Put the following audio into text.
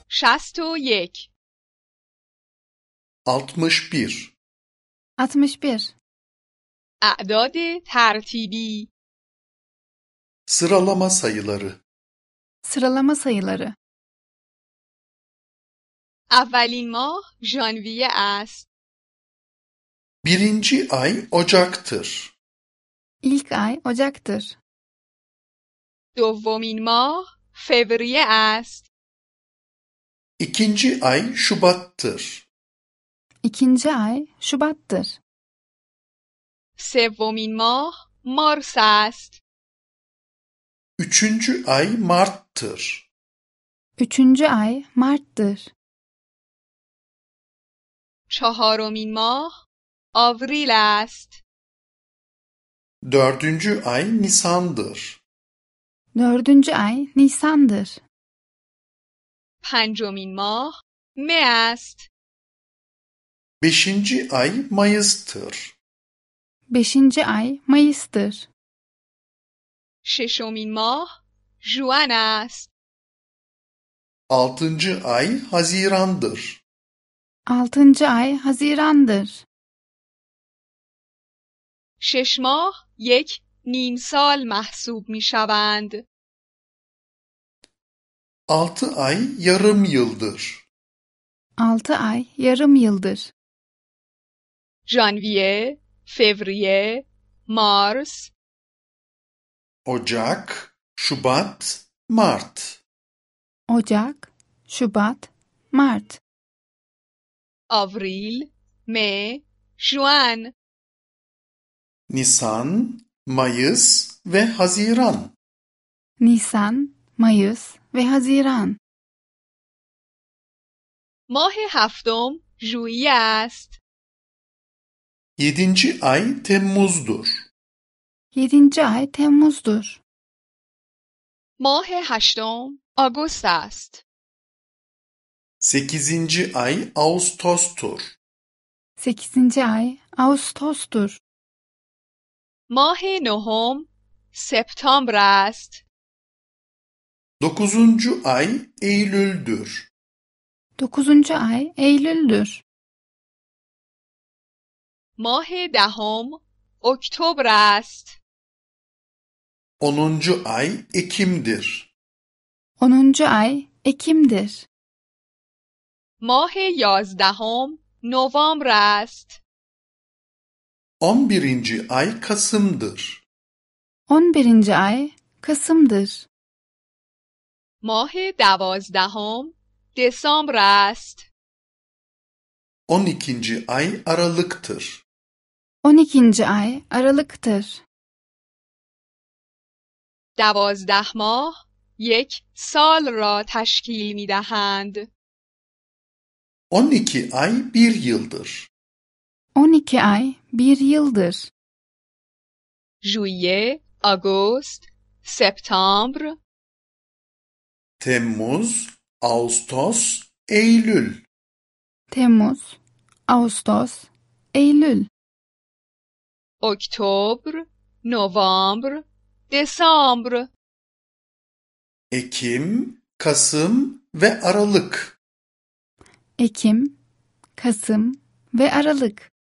61 61 61. اعداد ترتیبی Sıralama sayıları. Sıralama sayıları. اولین ماه ژانویه است. Birinci ay Ocak'tır. İlk ay Ocak'tır. دومین ماه فوریه است. İkinci ay Şubat'tır. İkinci ay Şubat'tır. سومین ماه مارس است. Üçüncü ay Mart'tır. Üçüncü ay Mart'tır. چهارمین ماه آوریل است. Dördüncü ay Nisan'dır. Dördüncü ay Nisan'dır. پنجمین ماه مه است. Beşinci ay Mayıs'tır. Beşinci ay Mayıs'tır. ششمین ماه ژوئن است. Altıncı ay Haziran'dır. Altıncı ay Haziran'dır. شش ماه یک نیم سال محسوب می شوند. 6 ay yarım yıldır. 6 ay yarım yıldır. ژانویه، فوریه، مارس، Ocak, Şubat, Mart. Ocak, Şubat, Mart, آوریل، مه، ژوئن. Nisan, Mayıs ve Haziran. Nisan, Mayıs ve Haziran. ماه هفتم ژوئیه است. 7. ay Temmuz'dur. 7. ay Temmuz'dur. ماه هشتم آگوست است. 8. ay Ağustos'tur. 8. ay Ağustos'tur. ماه نهم سپتامبر است. 9. ay Eylül'dür. 9. ay Eylül'dür. ماه دهم اکتبر است. 10. ay Ekim'dir. 10. ay Ekim'dir. ماه یازدهم نوامبر است. 11. ay Kasım'dır. 11. ay Kasım'dır. ماه دوازدهم دسامبر است. 12. ay Aralık'tır. 12. ay Aralık'tır. 12 ماه یک سال را تشکیل می دهند. 12 ay bir yıldır. 12 ay bir yıldır. ژوئیه، آگوست، سپتامبر، Temmuz, Ağustos, Eylül. Temmuz, Ağustos, Eylül, اکتبر، نوامبر، دسامبر. Ekim, Kasım ve Aralık. Ekim, Kasım ve Aralık.